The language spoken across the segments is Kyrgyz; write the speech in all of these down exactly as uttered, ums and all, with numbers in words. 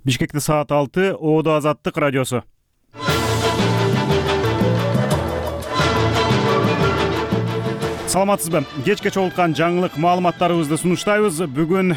Бишкекте саат алты, Оодо Азаттык радиосу. Саламатсызбы? Кечке чогулткан жаңылык маалыматтарыбызды сунуштайбыз. Бүгүн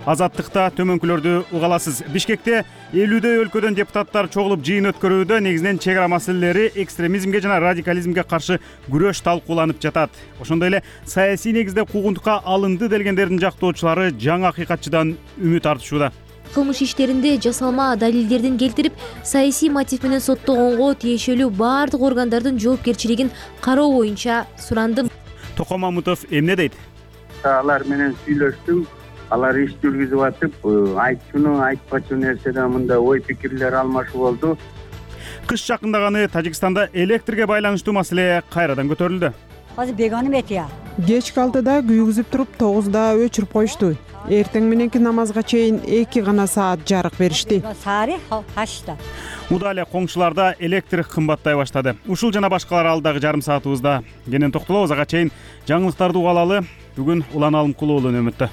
Азаттыкта төмөнкүлөрдү угаласыз. Бишкекте элүүдөй өлкөдөн депутаттар чогулуп жыйын өткөрүүдө негизинен чек ара маселелери, экстремизмге жана радикализмге каршы күрөш талкууланып жатат. Ошондой эле саясий негизде куугунтукка алынды делгендердин жактоочулары жаңы акыйкатчыдан үмүт артышууда. Кылмыш иштеринде жасалма далилдердин келтирип, саясий мотив менен соттогонго тиешелүү баардык органдардын жоопкерчилигин кароо боюнча сурандым. Током Мамутов эмне дейт? Алар менен сүйлөштүм. Алар иш жүргүзүп атып, айтчуну, айтпачу нерседе мындай ой пикирлер алмашуу болду. Кыш жакындаганы Тажикстанда электрге байланыштуу маселе кайрадан көтөрүлдү. Азыр беганым этия. Кечки алтыда күйгүзүп туруп, тогузда өчүрүп коюшту. Эртең мененки намазга чейин эки гана саат жарык беришти. Сари хашта. Удале коңшуларда электр кымбаттай баштады. Ушул жана башкалар алдагы жарым саатыбызда кенен токтолобуз. Ага чейин жаңылыктарды угалалы. Бүгүн Улан Алымкулуулун өмүттө.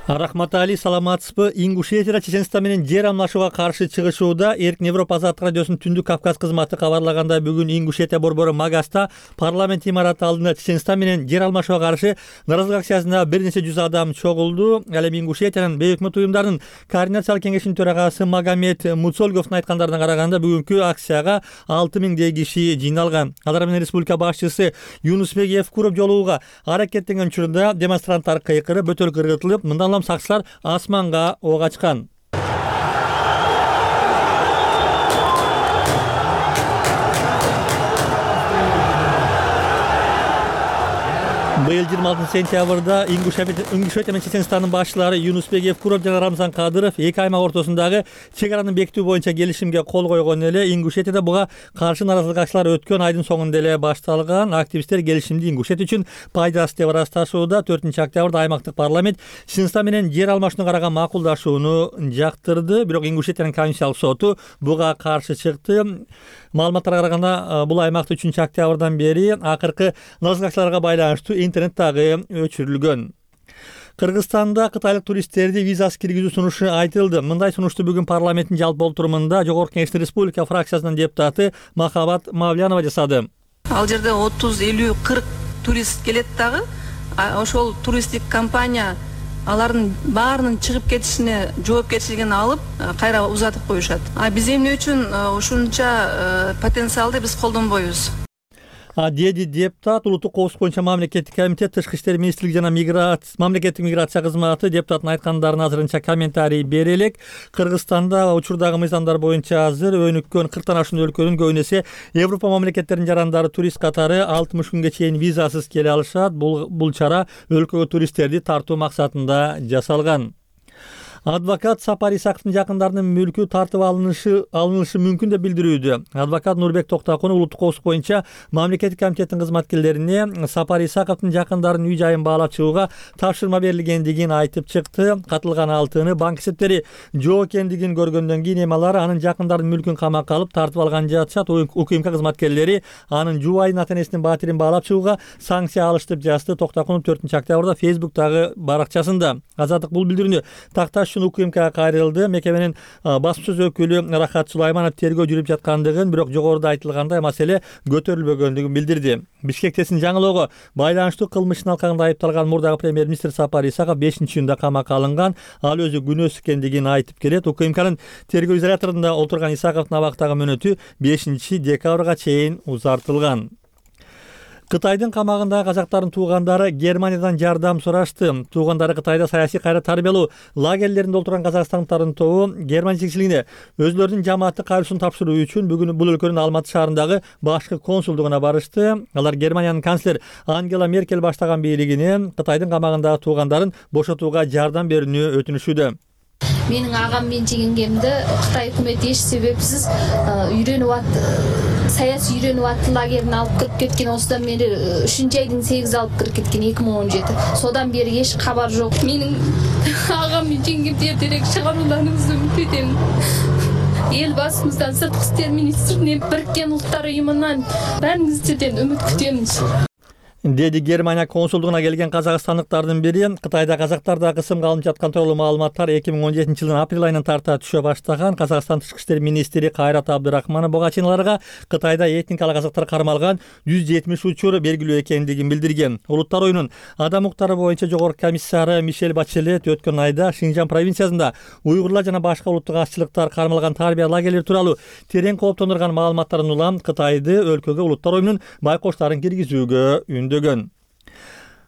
Рахматали, саламатсызбы? Ингушетияда Чеченстан менен жер алмашууга каршы чыгышууда Эркин Европа Азаттык радиосунун Түндүк Кавказ кызматы кабарлагандай, бүгүн Ингушетия борбору Магаста парламент имараты алдында Чеченстан менен жер алмашууга каршы нааразылык акциясына бир нече жүз адам чогулду. Ал эми Ингушетиянын бейөкмөт уюмдарынын координациялык кеңешинин төрагасы Магомед Муцольговдун айткандарына караганда, бүгүнкү акцияга алты миңдей киши жыйналган. Алар менен республика башчысы Юнусбек Евкуров жолугууга аракеттенген учурда демонстранттар кыйкырып, бөтөлкө ыргытылып, мындан сакчылар асманга ок ачкан. Быйыл жыйырма алтынчы сентябрда Ингушетия менен Чеченстандын башчылары Юнусбек Евкуров жана Рамзан Кадыров эки аймак ортосундагы чек араны бекитүү боюнча келишимге кол койгон эле. Ингушетияда буга каршы нааразылык акциялар өткөн айдын соңунда эле башталган. Активисттер келишимди Ингушетия үчүн пайдасыз деп ырасташууда. төртүнчү октябрда аймактык парламент Чеченстан менен жер алмашууну караган макулдашууну жактырды. Бирок Ингушетиянын конституциялык соту буга каршы чыкты. Маалыматтарга караганда, бул аймакта үчүнчү октябрдан бери акыркы нааразылык акцияларга байланыштуу интернет дагы өчүрүлгөн. Кыргызстанда кытайлык туристтерди визасыз киргизүү сунушу айтылды. Мындай сунушту бүгүн парламенттин жалпы олтурумунда Жогорку Кеңештин республика фракциясынын депутаты Махабат Мавлянова жасады. Ал жерде отуз, элүү, кырк турист келет дагы. Ошол туристтик компания алардын баарынын чыгып кетишине жоопкерчилигин алып, кайра узатып коюшат. А биз эмне үчүн ушунча потенциалды биз колдонбойбуз? Деди депутат. Улуттук коопсуздук боюнча мамлекеттик комитет, Тышкы иштер министрлиги жана мамлекеттик миграция кызматы депутаттын айткандарын азырынча комментарий бере элек. Кыргызстанда учурдагы мыйзамдар боюнча азыр өнүккөн кырктан ашуун өлкөнүн көбү эсе Европа мамлекеттеринин жарандары турист катары алтымыш күнгө чейин визасыз келе алышат. Бул бул чара өлкөгө туристтерди тартуу максатында жасалган. Адвокат Сапар Исаковдун жакындарынын мүлкү тартып алынышы алынышы мүмкүн деп билдирүүдө. Адвокат Нурбек Токтакунов улуттук коопсуздук боюнча мамлекеттик комитеттин кызматкерлерине Сапар Исаковдун жакындарынын үй жайын баалап чыгууга тапшырма берилгендигин айтып чыкты. Катылган алтыны банк эсептери жок экендигин көргөндөн кийин эми алар анын жакындарынын мүлкүн камакка алып тартып алган жатышат. УКМК кызматкерлери анын жубайын ата-энесинин батирин баалап чыгууга санкция алышты деп жазды Токтакунов төртүнчү октябрда Фейсбуктагы баракчасында. Азаттык бул билдирүүнү такташ УКМКга кайрылды. Мекеменин басмасөз өкүлү Рахат Сулайманов тергөө жүрүп жаткандыгын, бирок жогоруда айтылгандай маселе көтөрүлбөгөндүгүн билдирди. Бишкектесин жаңылоого байланыштуу кылмыштын алкагында айыпталган мурдагы премьер-министр Сапар Исаков бешинчи июнда камакка алынган. Ал өзү күнөөсүз экендигин айтып келет. УКМКнын тергөө изоляторунда отурган Исаковдун абактагы мөөнөтү бешинчи декабрга чейин узартылган. Кытайдын камагындагы казактардын туугандары Германиядан жардам сурашты. Туугандары Кытайда саясий кайра тарбиялоо лагерлеринде отурган казакстандыктардын тобу Германия жетекчилигине өзлөрүнүн жамааты кайрылышын тапшыруу үчүн бүгүн бул өлкөнүн Алматы шаарындагы башкы консулдугуна барышты. Алар Германиянын канцлер Ангела Меркель баштаган бийлигине Кытайдын камагындагы туугандарын бошотууга жардам берүүнү өтүнүшүүдө. Менин агам мен жеңгемди Кытай өкмөтү эч себепсиз үйрөнүп ат саясий үйрөнүп ат лагерине алып кирип кеткен. Осудан бери үчүнчү айдын сегизи алып кирип кеткен эки миң он жети. Содан бери эч кабар жок. Менин агам мен жеңгемди эртерээк чыгарууңузду үмүт этем. Эл басымыздан, сырткы иштер министринен, Бириккен Улуттар уюмунан баарыңызден үмүт күтөмүз. деди Германия консулдугуна келген казакстандыктардын бири. Кытайда казактарда кысымга алынып жаткан тууралуу маалыматтар эки миң он жетинчи жылдын апрель айынан тарта түшө баштаган. Казакстан тышкы иштер министри Кайрат Абдырахманов бугачиналарга Кытайда этникалык казактар кармалган жүз жетимиш учур белгилүү экендигин билдирген. Улуттар оюнун адам укуктары боюнча жогорку комиссары Мишель Бачелет өткөн айда Шинжан провинциясында уйгурлар жана башка улуттук азчылыктар кармалган тарбия лагерлери тууралуу терең кооптондурган маалыматтарын улам Кытайды өлкөгө улуттар оюнунун байкоштарын киргизүүгө үндөгөн.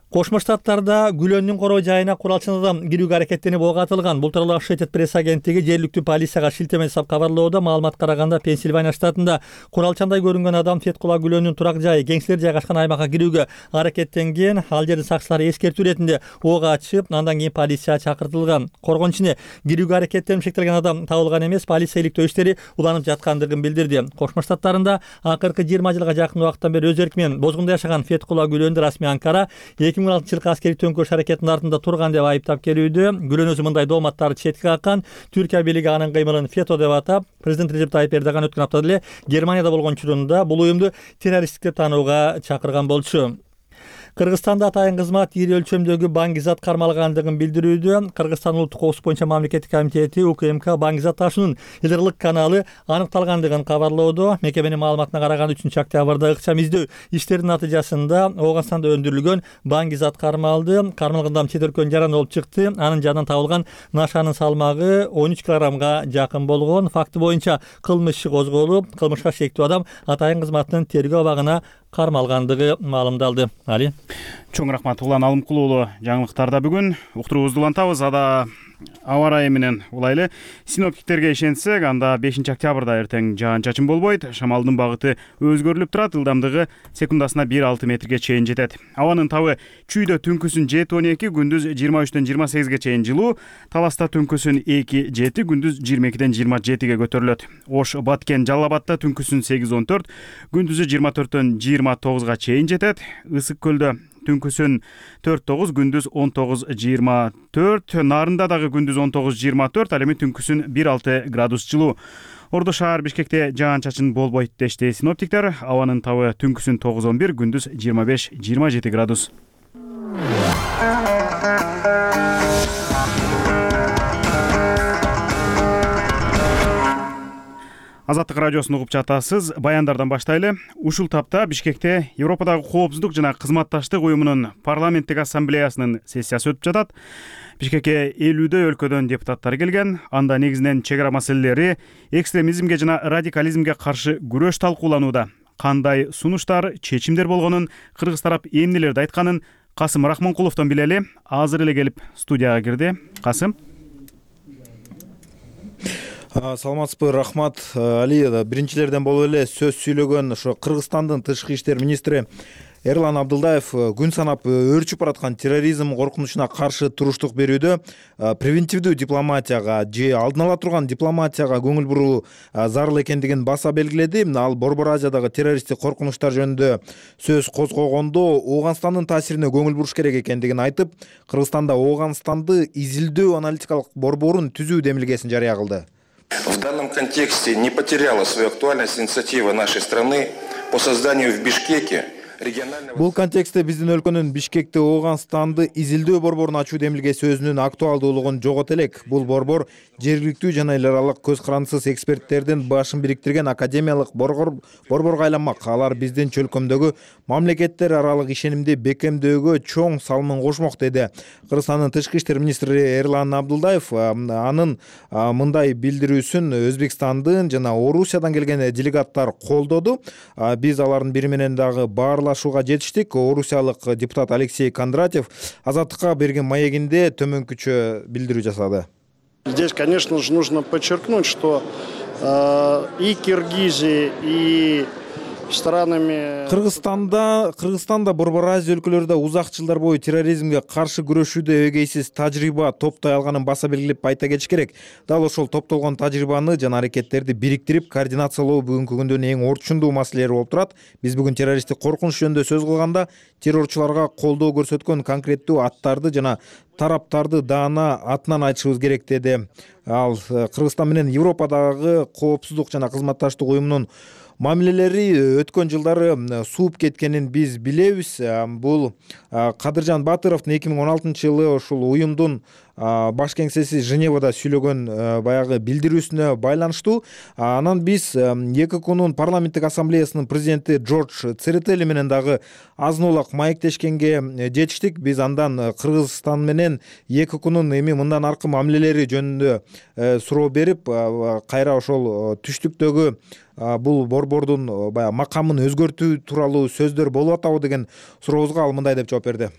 Кошмо Штаттарда Гүлөндүн короо жайына куралчанадан кирүүгө аракеттенип ого атылган. Бул тууралуу Associated Press агенттиги жергиликтүү полицияга шилтеме жасап кабарлоодо. Маалыматка караганда Пенсильвания штатында куралчандай көрүнгөн адам Феткула Гүлөндүн турак жайы кеңселер жайгашкан аймакка кирүүгө аракеттенген. Ал жердин сакчылары эскертүү иретинде ого ачып, андан кийин полиция чакыртылган. Коргон ичине кирүүгө аракеттенип шектелген адам табылган эмес, полиция иликтөө иштери уланып жаткандыгын билдирди. Кошмо Штаттарында акыркы жыйырма жылга жакын убакыттан бери өз эрки менен бозгунда жашаган Феткула Гүлөндү расмий Анкара эки миң он алтынчы жылкы аскерий төңкөрүш аракетинин артында турган деп айыптап келүүдө. Гүлөн өзү мындай дооматтарды четке каккан. Түркия бийлиги анын кыймылын фето деп атап, президент Режеп Тайип Эрдоган өткөн аптада эле Германияда болгон учурунда бул уюмду террористтик деп таанууга чакырган болчу. Кыргызстанда атайын кызмат ири өлчөмдөгү баңгизат кармалгандыгын билдирүүдө. Кыргызстан улуттук коопсуздук боюнча мамлекеттик комитети У К М К баңгизат ташуунун Илдырлык каналы аныкталгандыгын кабарлоодо. Мекеменин маалыматына караганда үчүнчү октябрда ыкчам издөө иштеринин натыйжасында Ооганстанда өндүрүлгөн баңгизат кармалды. Кармалган адам чет өлкөнүн жараны болуп чыкты. Анын жанынан табылган нашанын салмагы он үч килограммга жакын болгон. Факты боюнча кылмыш иши козголуп, кылмышка шектүү адам атайын кызматтын тергөө абагына кармалгандыгы маалымдалды. Али. Чоң рахмат Улан Алымкул уулу. Жаңылыктарда бүгүн уктуруубузду улантабыз. Ада аба ырайы менен улайлы. Синоптиктерге ишенсек, анда бешинчи октябрда эртең жаан-чачын болбойт. Шамалдын багыты өзгөрүлүп турат. Ылдамдыгы секундасына бир алты метрге чейин жетет. Абанын табы чүйдө түнкүсүн жети он эки, күндүз жыйырма үчтөн жыйырма сегизге чейин жылуу. Таласта түнкүсүн эки жети, күндүз жыйырма экиден жыйырма жетиге көтөрүлөт. Ош, Баткен, Жалал Абадта түнкүсүн сегиз он төрт, күндүзү жыйырма төрттөн жыйырма тогузга чейин жетет. Ысык көлдө түнкүсүн төрт тогуз, күндүз он тогуз жыйырма төрт, Нарында дагы күндүз он тогуз жыйырма төрт, ал эми түнкүсүн бир алты градус жылуу. Ордо шаар Бишкекте жаан-чачын болбойт дешти синоптиктер. Абанын табы түнкүсүн тогуз он бир, күндүз жыйырма беш жыйырма жети градус. Азаттык радиосун угуп жатасыз. Баяндардан баштайлы. Ушул тапта Бишкекте Европадагы коопсуздук жана кызматташтык уюмунун парламенттик ассамблеясынын сессиясы өтүп жатат. Бишкекке элүүдөй өлкөдөн депутаттар келген. Анда негизинен чек ара маселелери, экстремизмге жана радикализмге каршы күрөш талкууланууда. Кандай сунуштар, чечимдер болгонун, кыргыз тарап эмнелерди айтканын Касым Рахманкуловдон билели. Азыр эле келип студияга кирди. Касым. Саламатсызбы, рахмат. Али, биринчилерден болуп эле сөз сүйлөгөн ошо Кыргызстандын тышкы иштер министри Эрлан Абдылдаев күн санап өөрчүп бараткан терроризм коркунучуна каршы туруштук берүүдө превентивдүү дипломатияга же алдын ала турган дипломатияга көңүл буруу зарыл экендигин баса белгиледи. Ал Борбор Азиядагы террористтик коркунучтар жөнүндө сөз козгогондо Ооганстандын таасирине көңүл буруш керек экендигин айтып, Кыргызстанда Ооганстанды изилдөө аналитикалык борборун түзүү демилгесин жарыя кылды. В данном контексте не потеряла свою актуальность инициатива нашей страны по созданию в Бишкеке регионального... Бул контекстте биздин өлкөнүн Бишкекте Ооганстанды изилдөө борборун ачуу демилгеси өзүнүн актуалдуулугун жогот элек. Бул борбор жергиликтүү жана эл аралык көз карандысыз эксперттердин башын бириктирген академиялык борборго айланмак. Алар биздин чөлкөмдөгү мамлекеттер аралык ишенимди бекемдөөгө чоң салымын кошмок, деди Кыргызстандын тышкы иштер министри Эрлан Абдылдаев. Анын мындай билдирүүсүн Өзбекстандын жана Орусиядан келген делегаттар колдоду. Биз алардын бири менен дагы баарлашууга жетиштик. Орусиялык депутат Алексей Кондратьев Азаттыкка берген маегинде төмөнкүчө билдирүү жасады. Здесь, конечно же, нужно подчеркнуть, что э, и Киргизия, и странами... Кыргызстанда, Кыргызстанда Борбор Азия өлкөлөрүндө узак жылдар бою терроризмге каршы күрөшүүдө эгейсиз тажрыйба топтой алганын баса белгилеп айта кетиш керек. Дал ошол топтолгон тажрыйбаны жана аракеттерди бириктирип, координациялоо бүгүнкү күндүн эң орчундуу маселелери болуп турат. Биз бүгүн террористтик коркунуч жөнүндө сөз кылганда террорчуларга колдоо көрсөткөн конкреттүү аттарды жана тараптарды даана атынан айтышыбыз керек, деди ал. Кыргызстан менен Европадагы коопсуздук жана кызматташтык уюмунун мамилелери өткөн жылдары сууп кеткенин биз билебиз. Бул Кадыржан Батыровдун эки миң он алтынчы жылы ушул уюмдун баш кеңсеси Женевада сүйлөгөн баягы билдирүүсүнө байланыштуу. Анан биз ЕККнун парламенттик ассамблеясынын президенти Джордж Церетели менен дагы азын-аулак маектешкенге жетиштик. Биз андан Кыргызстан менен ЕККнун эми мындан аркы мамилелери жөнүндө суроо берип, кайра ошол түштүктөгү бул борбордун баягы макамын өзгөртүү тууралуу сөздөр болуп атабы деген сурообузга ал мындай деп жооп берди.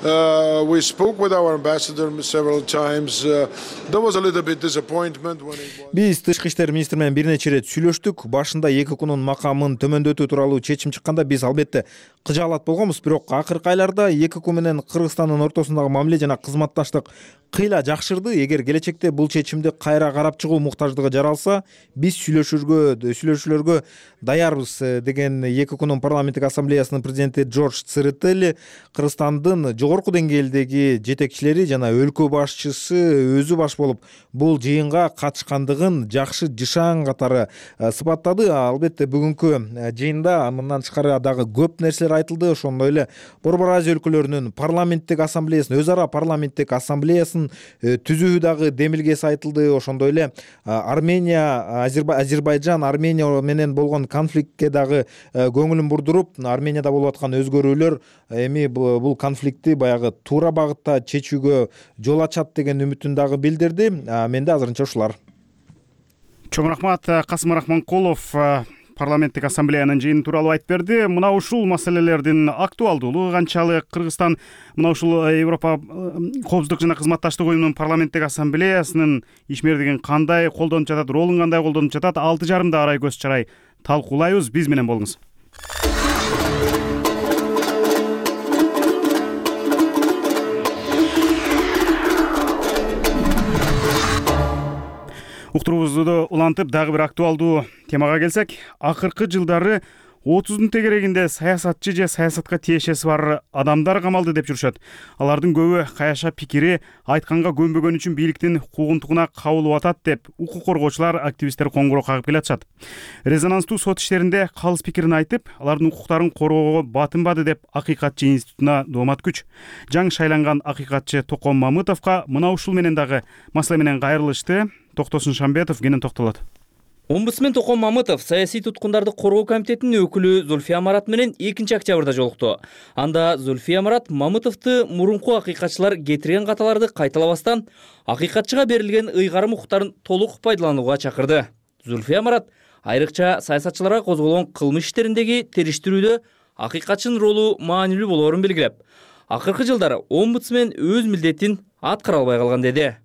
Uh, we spoke with our ambassador several times. Uh, there was a little bit disappointment when it was... Биз тышкы иштер министри менен бир нече ирет сүйлөштүк. Башында ЕККнун макамын төмөндөтүү тууралуу чечим чыкканда биз албетте кыжаалат болгонбуз, бирок акыркы айларда ЕКК менен Кыргызстандын ортосундагы мамиле жана кызматташтык кыйла жакшырды. Эгер келечекте бул чечимди кайра карап чыгуу муктаждыгы жаралса, биз сүйлөшүүгө сүйлөшүүлөргө даярбыз деген ЕККнун парламенттик ассамблеясынын президенти Джордж Церетели Кыргызстандын жогорку деңгээлдеги жетекчилери жана өлкө башчысы өзү баш болуп бул жыйынга катышкандыгын жакшы жышаан катары сыпаттады. Албетте бүгүнкү жыйында мындан тышкары дагы көп нерселер айтылды. Ошондой эле Борбор Азия өлкөлөрүнүн парламенттик ассамблеясынын өз ара парламенттик ассамблеясын түзүү дагы демилгеси айтылды. Ошондой эле Армения, Азербайжан, Армения менен болгон конфликтке дагы көңүлүн бурдуруп, Арменияда болуп аткан өзгөрүүлөр эми бул конфликтти баягы туура багытта чечүүгө жол ачат деген үмүтүн дагы билдирди. Менде азырынча ушулар. Чоң рахмат. Касым Рахманкулов парламенттик ассамблеянын жыйыны тууралуу айтып берди. Мына ушул маселелердин актуалдуулугу канчалык, Кыргызстан мына ушул Европа коопсуздук жана кызматташтык уюмунун парламенттик ассамблеясынын ишмердигин кандай колдонуп жатат, ролун кандай колдонуп жатат, алты жарымда арай көз чарай талкуулайбыз. Биз менен болуңуз. Уктуруубузду улантып дагы бир актуалдуу темага келсек, акыркы жылдары отуздун тегерегинде саясатчы же саясатка тиешеси бар адамдар камалды деп жүрүшөт. Алардын көбү каяша пикири айтканга көнбөгөн үчүн бийликтин куугунтугуна кабылып атат деп укук коргоочулар, активисттер коңгуроо кагып келатышат. Резонанстуу сот иштеринде калыс пикирин айтып, алардын укуктарын коргоого батынбады деп Акыйкатчы институтуна доомат күч. Жаңы шайланган акыйкатчы Токон Мамытовго мына ушул менен дагы маселе менен кайрылышты. Токтосун Шамбетов кенен токтолот. Омбудсмен Токон Мамытов саясий туткундарды коргоо комитетинин өкүлү Зульфия Марат менен экинчи октябрда жолукту. Анда Зульфия Марат Мамытовду мурунку акыйкатчылар кетирген каталарды кайталабастан акыйкатчыга берилген ыйгарым укуктарын толук пайдаланууга чакырды. Зульфия Марат айрыкча саясатчыларга козголгон кылмыш иштериндеги териштирүүдө акыйкатчынын ролу маанилүү болоорун белгилеп, акыркы жылдары омбудсмен өз милдетин аткара албай калган деди.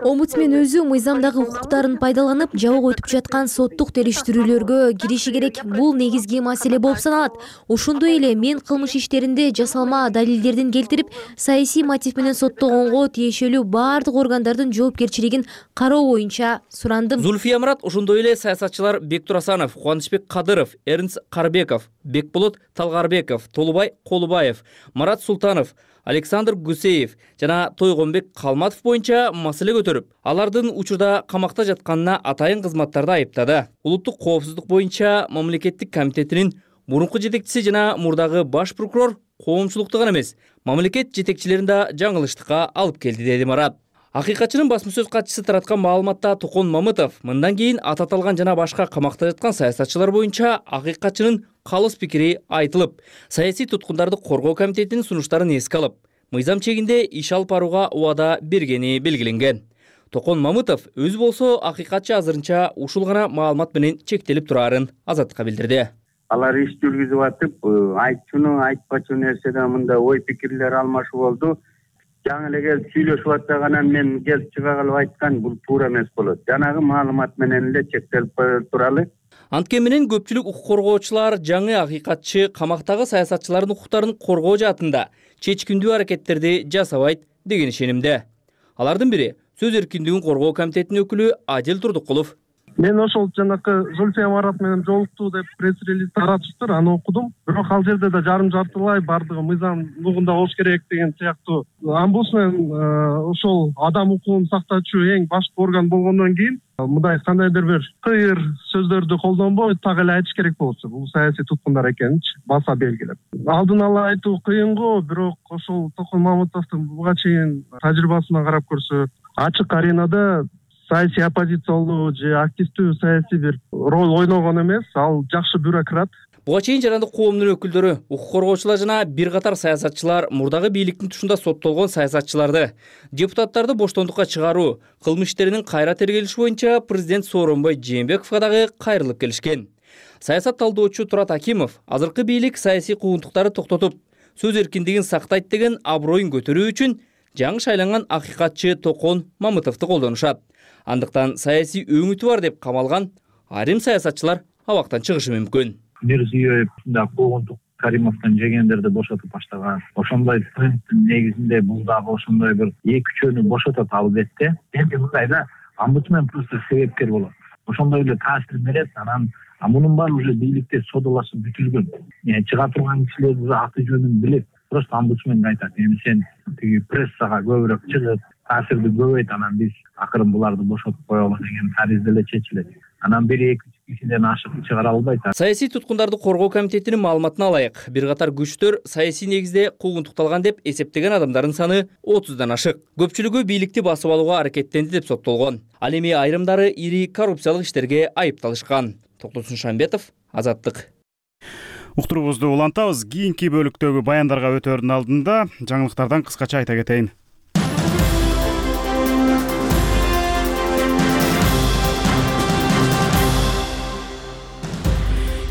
Омбудсмен өзү мыйзамдагы укуктарын пайдаланып, жабык өтүп жаткан соттук териштирүүлөргө кириши керек. Бул негизги маселе болуп саналат. Ошондой эле мен кылмыш иштеринде жасалма далилдердин келтирип, саясий мотив менен соттогонго тиешелүү баардык органдардын жоопкерчилигин кароо боюнча сурандым. Зульфия Марат ошондой эле саясатчылар Бектур Асанов, Кубанычбек Кадыров, Эрнст Карбеков, Бекболот Талгарбеков, Толубай Колубаев, Марат Султанов, Александр Гусеев жана Тойгонбек Калматов боюнча маселе көтөрүп, алардын учурда камакта жатканына атайын кызматтарды айыптады. Улуттук коопсуздук боюнча мамлекеттик комитетинин мурунку жетекчиси жана мурдагы баш прокурор коомчулукту гана эмес, мамлекет жетекчилерин да жаңылыштыкка алып келди, деди Марат. Акыйкатчынын басма сөз катчысы тараткан маалыматта Токон Мамытов мындан кийин аты аталган жана башка камакта жаткан саясатчылар боюнча акыйкатчынын калыс пикири айтылып, саясий туткундарды коргоо комитетинин сунуштарын эске алып, мыйзам чегинде иш алып барууга убада бергени белгиленген. Токон Мамытов өзү болсо акыйкатчы азырынча ушул гана маалымат менен чектелип турарын Азаттыкка билдирди. Алар иш жүргүзүп атып, айтчуну айтпачу нерседе мында ой пикирлер алмашуу болду. Жаңы эле келип сүйлөшүп атпаганан мен келип чыга калып айткан, бул туура эмес болот. Жанагы маалымат менен эле чектелип туралы. Анткени менен көпчүлүк укук коргоочулар жаңы акыйкатчы камактагы саясатчылардын укуктарын коргоо жаатында чечкиндүү аракеттерди жасабайт деген ишенимде. Алардын бири сөз эркиндигин коргоо комитетинин өкүлү Адил Турдукулов. Мен ошол жанакы Зульфия Марат менен жолуктуу деп пресс-релиз таратыптыр, аны окудум. Бирок ал жерде да жарым жартылай бардыгы мыйзам нугунда болуш керек деген сыяктуу. Омбудсмен ошол адам укугун сактоочу эң башкы орган болгондон кийин мындай кандайдыр бир кыйыр сөздөрдү колдонбой так эле айтыш керек болчу. Бул саясий туткундар экенинчи баса белгилеп. Алдын ала айтуу кыйын го, бирок ошол Токон Мамытовдун буга чейин тажрыйбасына карап көрсө, ачык аренада саясий оппозициялуу же активдүү саясий бир роль ойногон эмес, ал жакшы бюрократ. Буга чейин жарандык коомдун өкүлдөрү, укук коргоочулар жана бир катар саясатчылар мурдагы бийликтин тушунда соттолгон саясатчыларды, депутаттарды боштондукка чыгаруу, кылмыш иштеринин кайра тергелиши боюнча президент Сооронбай Жээнбековго дагы кайрылып келишкен. Саясат талдоочу Турат Акимов азыркы бийлик саясий куугунтуктарды токтотуп, сөз эркиндигин сактайт деген аброюн көтөрүү үчүн жаңы шайланган акыйкатчы Токон Мамытовду колдонушат. Андыктан саясий өңүтү бар деп камалган айрым саясатчылар абактан чыгышы мүмкүн. Мирзиёев да куугунтук Каримовдон жегендерди бошотуп баштаган. Ошондой трендтин негизинде бул дагы ошондой бир эки үчөөнү бошотот албетте. Эми мындайда омбудсмен просто себепкер болот. Ошондой эле таасир берет, анан мунун баары уже бийликте содалашып бүтүлгөн. Чыга турган кишилер уже аты жөнүн билет. Просто омбудсменге айтат, эми сен тиги прессага көбүрөөк чыгып, таасирди көбөйт, анан биз акырын буларды бошотуп коелу деген таризде эле чечилет. Анан бир эки кишиден ашык чыгара албайт. Саясий туткундарды коргоо комитетинин маалыматына алайык, бир катар күчтөр саясий негизде куугунтукталган деп эсептеген адамдардын саны отуздан ашык. Көпчүлүгү бийликти басып алууга аракеттенди деп соттолгон. Ал эми айрымдары ири коррупциялык иштерге айыпталышкан. Токтосун Шамбетов, Азаттык. Уктуруубузду улантабыз. Кийинки бөлүктөгү баяндарга өтөөрдүн алдында жаңылыктардан кыскача айта кетейин.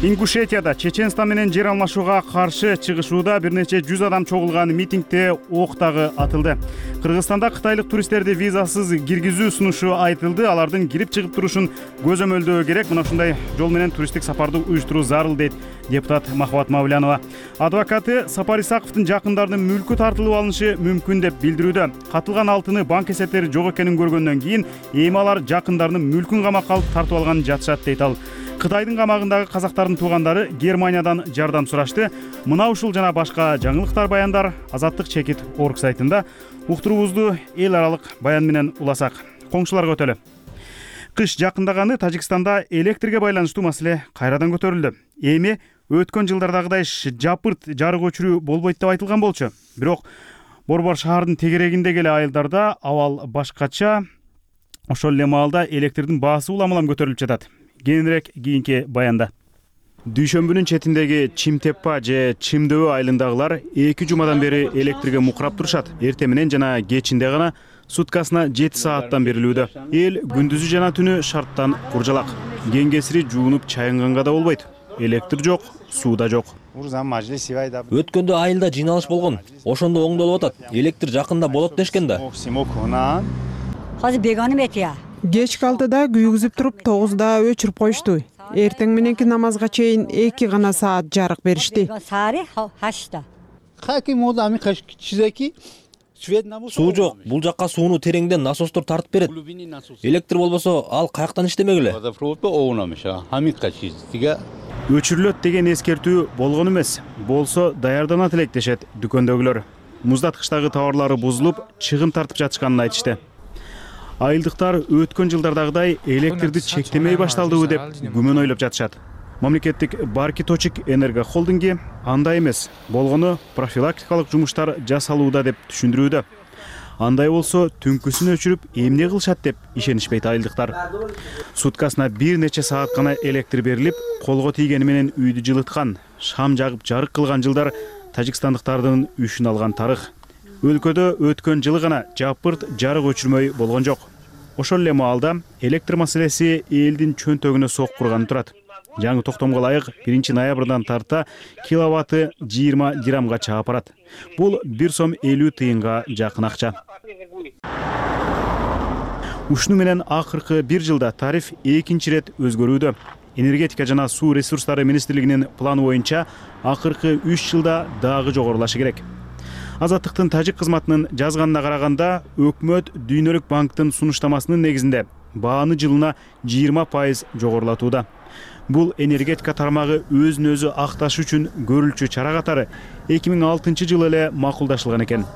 Ингушетияда Чеченстан менен жер алмашууга каршы чыгышууда бир нече жүз адам чогулган митингде ок дагы атылды. Кыргызстанда кытайлык туристтерди визасыз киргизүү сунушу айтылды. Алардын кирип чыгып турушун көзөмөлдөө керек. Мына ушундай жол менен туристтик сапарды уюштуруу зарыл дейт депутат Махабат Мавлянова. Адвокаты Сапар Исаковдун жакындарынын мүлкү тартылып алынышы мүмкүн деп билдирүүдө. Катылган алтыны банк эсептери жок экенин көргөндөн кийин эми алар жакындарынын мүлкүн камакка алып тартып алганын жатышат дейт ал. Кытайдын камагындагы казактардын туугандары Германиядан жардам сурашты. Мына ушул жана башка жаңылыктар баяндар Азаттык чекит орг сайтында. Уктуруубузду эл аралык баян менен уласак. Коңшуларга өтөлү. Кыш жакындаганы Тажикстанда электрге байланыштуу маселе кайрадан көтөрүлдү. Эми өткөн жылдардагыдай жапырт жарык өчүрүү болбойт деп айтылган болчу. Бирок Борбор шаардын тегерегиндеги эле айылдарда абал башкача. Ошол эле маалда электрдин баасы улам-улам көтөрүлүп жатат. Кийинирээк кийинки баянда. Дүйшөмбүнүн четиндеги Чимтеппа же Чимдөбө айылындагылар эки жумадан бери электрге мукурап турушат. Эртең менен жана кечинде гана суткасына жети сааттан берилүүдө. Эл күндүзү жана түнү шарттан куржалак. Кеңгесири жуунуп чайынганга да болбойт. Электр жок, суу да жок. Өткөндө айылда жыйналыш болгон. Ошондо оңдолуп атат. Электр жакында болот дешкен да. Азыр беганым этия. Кечки алтыда күйгүзүп туруп тогузда өчүрүп коюшту. Эртең мененки намазга чейин эки гана саат жарык беришти. Суу жок. Бул жакка сууну тереңден насостор тартып берет. Электр болбосо ал каяктан иштемек эле? Өчүрүлөт деген эскертүү болгон эмес. Болсо даярданат элек дешет дүкөндөгүлөр. Муздаткычтагы товарлары бузулуп, чыгым тартып жатышканын айтышты. Айылдыктар өткөн жылдардагыдай электрди чектемей башталдыбы деп күмөн ойлоп жатышат. Мамлекеттик Барки Точик Энерго холдинги андай эмес, болгону профилактикалык жумуштар жасалууда деп түшүндүрүүдө. Андай болсо түнкүсүн өчүрүп эмне кылышат деп ишенишпейт айылдыктар. Суткасына бир нече саат гана электр берилип, колго тийгени менен үйдү жылыткан, шам жагып жарык кылган жылдар тажикстандыктардын үшүн алган тарых. Өлкөдө өткөн жылы гана жапырт жарык өчүрмөй болгон жок. Ошол эле маалда электр маселеси элдин чөнтөгүнө соккурган турат. Жаңы токтомго ылайык биринчи ноябрдан тарта киловатты жыйырма дирhamга чаап барат. Бул бир сом элүү тыйынга жакын акча. Ушуну менен акыркы бир жылда тариф экинчи ирет өзгөрүүдө. Энергетика жана суу ресурстары министрлигинин планы боюнча акыркы үч жылда дагы жогорулашы керек. Азаттыктын тажик кызматынын жазганына караганда, өкмөт Дүйнөлүк банктын сунуштамасынын негизинде бааны жылына жыйырма пайыз жогорулатууда. Бул энергетика тармагы өзүн өзү акташ үчүн көрүлчү чара катары эки миң алтынчы жылы эле макулдашылган экен.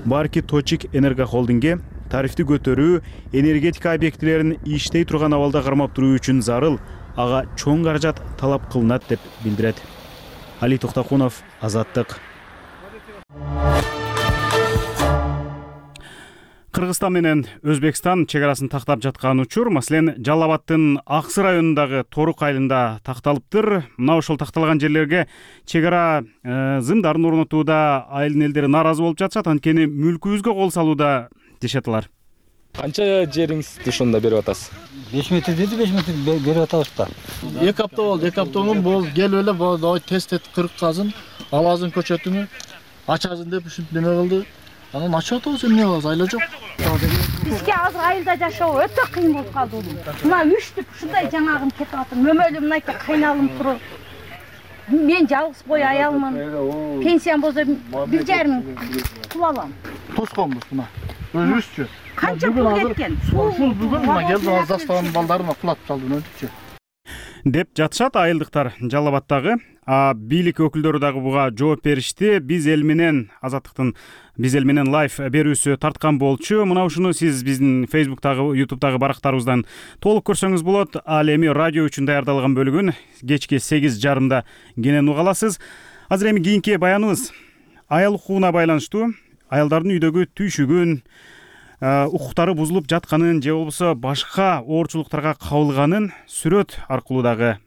Барки Точик Энерго холдингге тарифти көтөрүү энергетика объектилерин иштей турган абалда кармап туруу үчүн зарыл, ага чоң каражат талап кылынат деп билдирет. Али Токтокунов, Азаттык. Кыргызстан менен Өзбекстан чек арасын тактап жаткан учур, маселен, Жалал Абаддын Аксы районундагы Торук айылында такталыптыр. Мына ошол такталган жерлерге чек ара зымдарын орнотууда айылдын элдери нааразы болуп жатышат, анткени мүлкүбүзгө кол салууда дешет алар. Канча жериңизди ошондо берип атасыз? беш метр деди, беш метр берип атабыз да. эки апта болду, эки апта мурун бул келип эле бул тест этип кырк казын, алазын көчөтүнү ачазын деп ушинтип неме кылды. Анан ачып атабыз, эмне кылабыз, айла жок. Бизге азыр айылда жашоо өтө кыйын болуп калды улум. Мына үчтүп ушундай жаңагым кетип атыр, мөмөлүм мынайка кыйналым туруп. Мен жалгыз бой аялмын. Пенсиям болсо бир жарым пул алам. Тосконбуз мына. Өзүбүзчү. Канча пул кеткен? Ушул бүгүн мына келди, Азастан балдарына кулатып салды өтүкчү. Деп жатышат айылдыктар Жалал Абаддагы. А бийлик өкүлдөрү дагы буга жооп беришти. Биз эл менен Азаттыктын биз эл менен лайв берүүсү тарткан болчу. Мына ушуну сиз биздин Facebook'тагы, YouTube'дагы барактарыбыздан толук көрсөңүз болот. Ал эми радио үчүн даярдалган бөлүгүн кечки сегиз жарымда кенен уга аласыз. Азыр эми кийинки баяныбыз аял укугуна байланыштуу. Аялдардын үйдөгү түйшүгүн, укуктары бузулуп жатканын же болбосо башка оорчулуктарга кабылганын сүрөт аркылуу дагы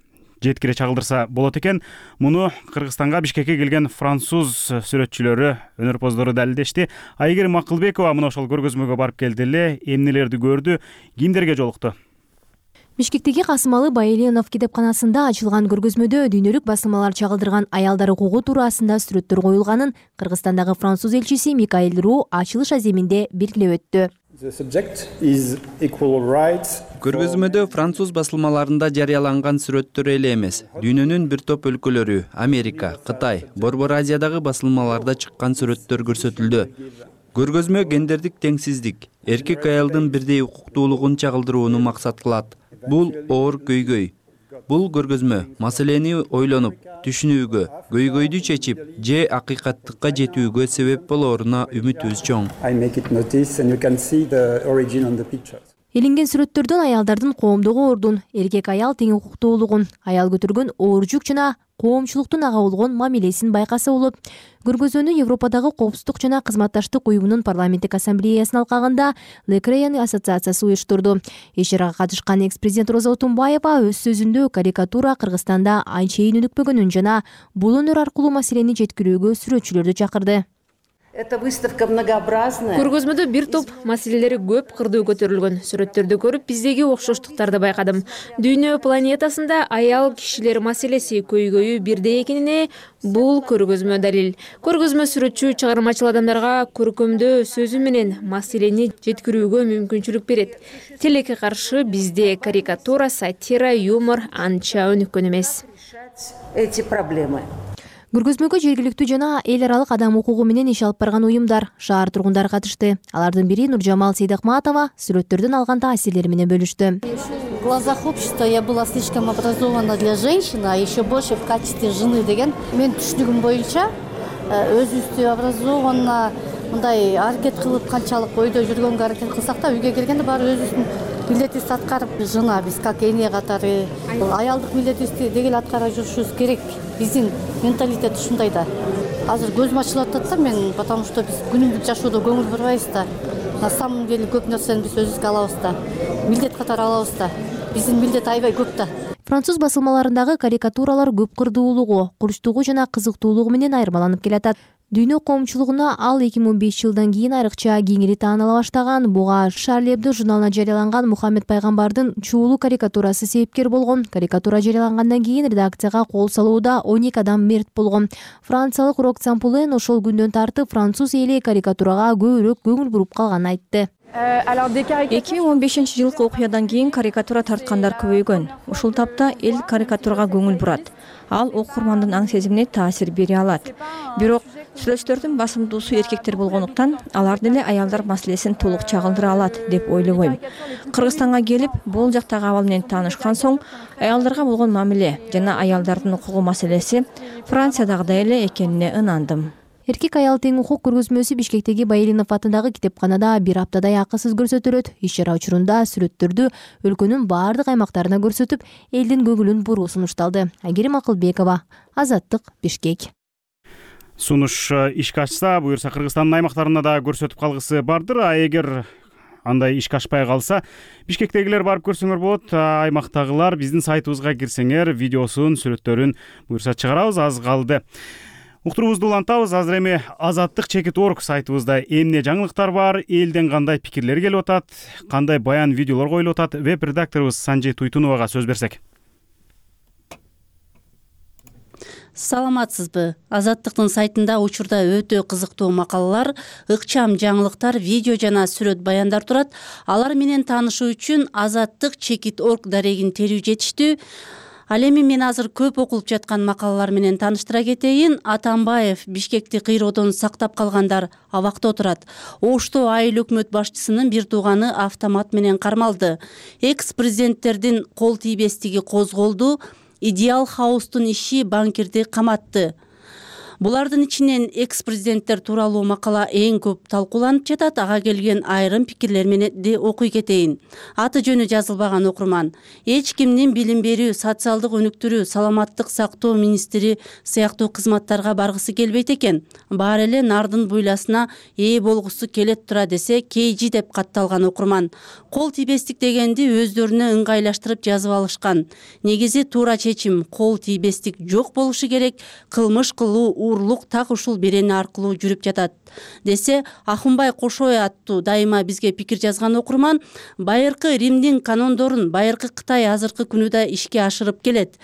жеткире чагылдырса болот экен. Муну Кыргызстанга, Бишкекке келген француз сүрөтчүлөрү, өнөрпоздору далилдешти. Айгерим Акылбекова мына ошол көргөзмөгө барып келди эле, эмнелерди көрдү, кимдерге жолукту. Бишкектеги Касымалы Байленов китепканасында ачылган көргөзмөдө дүйнөлүк басылмалар чагылдырган аялдар укугу туурасында сүрөттөр коюлганын Кыргызстандагы француз элчиси Микаэль Ру ачылыш аземинде белгилеп өттү. Көргөзмөдө француз басылмаларында жарыяланган сүрөттөр эле эмес, дүйнөнүн бир топ өлкөлөрү, Америка, Кытай, Борбор Азиядагы басылмаларда чыккан сүрөттөр көрсөтүлдү. Көргөзмө гендердик теңсиздик, эркек аялдын бирдей укуктуулугун чагылдырууну максат кылат. Бул оор көйгөй. Бул көргөзмө маселени ойлонуп, түшүнүүгө, көйгөйдү чечип, же акыйкаттыкка жетүүгө себеп болоруна үмүтүбүз чоң. Элинген сүрөттөрдөн аялдардын коомдогу ордун, эркек аял тең укуктуулугун, аял көтөргөн оор жүк жана коомчулуктун ага болгон мамилесин байкаса болот. Көргөзмөнү Европадагы коопсуздук жана кызматташтык уюмунун парламенттик ассамблеясынын алкагында Лекрейн ассоциациясы уюштурду. Иш-чарага катышкан экс-президент Роза Отунбаева өз сөзүндө карикатура Кыргызстанда анчейин өнүкпөгөнүн жана бул өнөр аркылуу маселени жеткирүүгө сүрөтчүлөрдү чакырды. Эта выставка многообразная. Көргөзмөдө бир топ маселелери көп кырдуу көтөрүлгөн. Сүрөттөрдү көрүп, биздеги окшоштуктарды байкадым. Дүйнө планетасында аял кишилер маселеси көйгөйү бирдей экенине бул көргөзмө далил. Көргөзмө сүрөтчү чыгармачыл адамдарга көркөмдөө сөзү менен маселени жеткирүүгө мүмкүнчүлүк берет. Тилекке каршы бизде карикатура, сатира, юмор анча өнүккөн эмес. Эти проблемы. Көргөзмөгө жергиликтүү жана эл аралык адам укугу менен иш алып барган уюмдар, шаар тургундары катышты. Алардын бири Нуржамал Сейдахматова сүрөттөрдөн алган таасирлери менен бөлүштү. В глазах общества я была слишком образована для женщины, а еще больше в качестве жены деген. Мен түшүнүгүм боюнча өзүбүздү образованно мындай аракет кылып канчалык ойдо жүргөнгө аракет кылсак да, үйгө келгенде баары өзүбүздүн милдетибизди аткарып, жана биз как эне катары аялдык милдетибизди дегеле аткарып жүрүшүбүз керек. Биздин менталитет ушундай да. Азыр көзүм ачылып атат да мен, потому что биз күнүмдүк жашоодо көңүл бурбайбыз да. На самом деле көп нерсени биз өзүбүзгө алабыз да. Милдет катары алабыз да. Биздин милдет аябай көп да. Француз басылмаларындагы карикатуралар көп кырдуулугу, курчтугу жана кызыктуулугу менен айырмаланып келатат. Дүйнө коомчулугуна ал эки миң он беш жылдан кийин айрыкча кеңири тааныла баштаган. Буга Шарли Эбдо журналына жарыяланган Мухаммед пайгамбардын чуулуу карикатурасы себепкер болгон. Карикатура жарыялангандан кийин редакцияга кол салууда он эки адам мерт болгон. Франциялык Рок Цампулен ошол күндөн тартып француз эли карикатурага көбүрөөк көңүл буруп калганын айтты. эки миң он бешинчи жылкы окуядан кийин карикатура тарткандар көбөйгөн. Ушул тапта эл карикатурага көңүл бурат. Ал окурмандын аң сезимине таасир бере алат. Бирок сүйлөшүүлөрдүн басымдуусу эркектер болгондуктан алар деле аялдар маселесин толук чагылдыра алат деп ойлобойм. Кыргызстанга келип, бул жактагы абал менен таанышкан соң, аялдарга болгон мамиле жана аялдардын укугу маселеси Франциядагыдай эле экенине ынандым. Эркек аял тең укук көргөзмөсү Бишкектеги Байринов атындагы китепканада бир аптадай акысыз көрсөтүлөт. Иш-чара учурунда сүрөттөрдү өлкөнүн баардык аймактарына көрсөтүп, элдин көңүлүн буруу сунушталды. Айгерим Акылбекова, Азаттык, Бишкек. Сунуш ишке ашса, буюрса Кыргызстандын аймактарына да көрсөтүп калгысы бардыр. А эгер андай ишке ашпай калса, Бишкектегилер барып көрсөңөр болот. Аймактагылар биздин сайтыбызга кирсеңер, видеосун, сүрөттөрүн буюрса чыгарабыз, аз калды. Уктуруубузду улантабыз. Азыр эми Азаттык чекит точка орг сайтыбызда эмне жаңылыктар бар, элден кандай пикирлер келип атат, кандай баян видеолор коюлуп атат, веб-редакторубуз Санжи Туйтуновага сөз берсек. Саламатсызбы? Азаттыктын сайтында учурда өтө кызыктуу макалалар, ыкчам жаңылыктар, видео жана сүрөт баяндар турат. Алар менен таанышуу үчүн Азаттык чекит точка орг дарегин терүү жетиштүү. Ал эми мен азыр көп окулуп жаткан макалалар менен тааныштыра кетейин. Атамбаев Бишкекти кыйроодон сактап калгандар абакта отурат. Ошто айыл өкмөт башчысынын бир тууганы автомат менен кармалды. Экс-президенттердин кол тийбестиги козголду. Идеал хаустун иши банкирди каматты. Булардын ичинен экс-президенттер тууралуу макала эң көп талкууланып жатат. Ага келген айрым пикирлер менен де окуй кетейин. Аты жөнү жазылбаган окурман. Эч кимдин билим берүү, социалдык өнүктүрүү, саламаттык сактоо министри сыяктуу кызматтарга баргысы келбейт экен. Баары эле нардын буйласына ээ болгусу келет тура десе, кейжи деп катталган окурман. Кол тийбестик дегенди өздөрүнө ыңгайлаштырып жазып алышкан. Негизи туура чечим, кол тийбестик жок болушу керек, кылмыш кылуу урлук так ушул берени аркылуу жүрүп жатат десе, Ахунбай Кошой аттуу дайыма бизге пикир жазган окурман байыркы Римдин канондорун байыркы Кытай азыркы күнүдө ишке ашырып келет.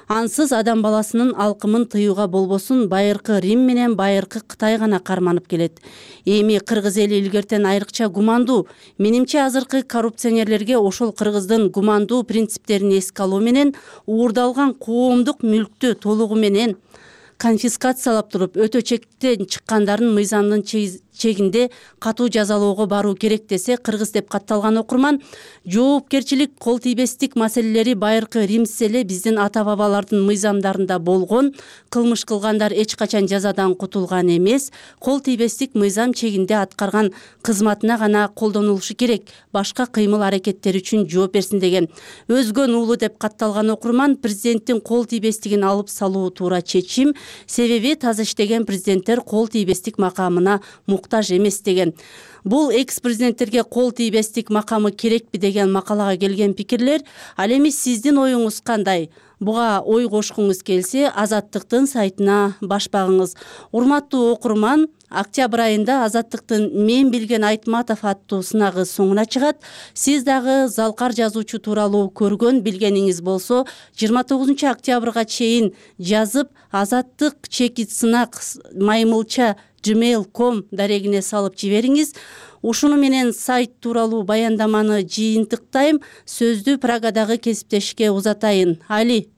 Ансыз адам баласынын алкымын тыюуга болбосун байыркы Рим менен байыркы Кытай гана карманып келет. Эми кыргыз эли илгертен айрыкча гумандуу. Менимче азыркы коррупционерлерге ошол кыргыздын гумандуу принциптерин эске алуу менен уурдалган коомдук мүлктү толугу менен конфискациялап туруп, өтө чектен чыккандарын мыйзамдын чегинде катуу жазалоого баруу керек десе, кыргыз деп катталган окурман жоопкерчилик, кол тийбестик маселелери байыркы Римс эле биздин ата-бабалардын мыйзамдарында болгон. Кылмыш кылгандар эч качан жазадан кутулган эмес. Кол тийбестик мыйзам чегинде аткарган кызматына гана колдонулушу керек. Башка кыймыл аракеттери үчүн жооп берсин деген. Өзгөн уулу деп катталган окурман президенттин кол тийбестигин алып салуу туура чечим. Себеби таза иштеген президенттер кол тийбестик макамына муктаж эмес деген. Бул экс-президенттерге кол тийбестик макамы керекпи деген макалага келген пикирлер. Ал эми сиздин оюңуз кандай? Буга ой кошкуңуз келсе, Азаттыктын сайтына баш багыңыз. Урматтуу окурман, октябрь айында Азаттыктын Мен билген Айтматов аттуу сынагы соңуна чыгат. Сиз дагы залкар жазуучу тууралуу көргөн билгениңиз болсо, жыйырма тогузунчу октябрга чейин жазып, Азаттык чекит сынак маймылча gmail точка ком дарегине салып жибериңиз. Ушуну менен сайт тууралуу баяндаманы жыйынтыктайм. Сөздү Прагадагы кесиптешке узатайын. Али.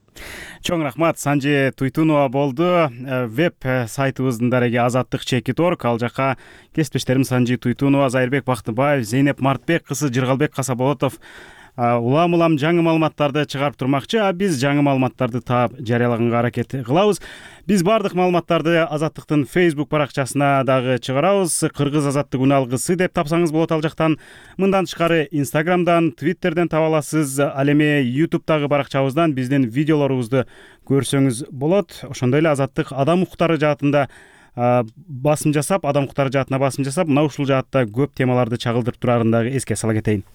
Чоң рахмат, Санжи Туйтунова болду. Веб сайтыбыздын дареги Азаттык чекит точка орг. Ал жака кесиптештерим Санжи Туйтунова, Зайырбек Бактыбаев, Зейнеп Мартбек кызы, Жыргалбек Касаболотов улам-улам жаңы маалыматтарды чыгарып турмакчы. А биз жаңы маалыматтарды таап жарыялаганга аракет кылабыз. Биз бардык маалыматтарды Азаттыктын Facebook баракчасына дагы чыгарабыз. Кыргыз азаттык үн алгысы деп тапсаңыз болот ал жактан. Мындан тышкары Instagramдан, Twitterден таба аласыз. Ал эми YouTube'дагы баракчабыздан биздин видеолорубузду көрсөңүз болот. Ошондой эле Азаттык адам укуктары жаатында басым жасап, адам укуктары жаатына басым жасап, мына ушул жаатта көп темаларды чагылдырып турарын дагы эске сала кетейин.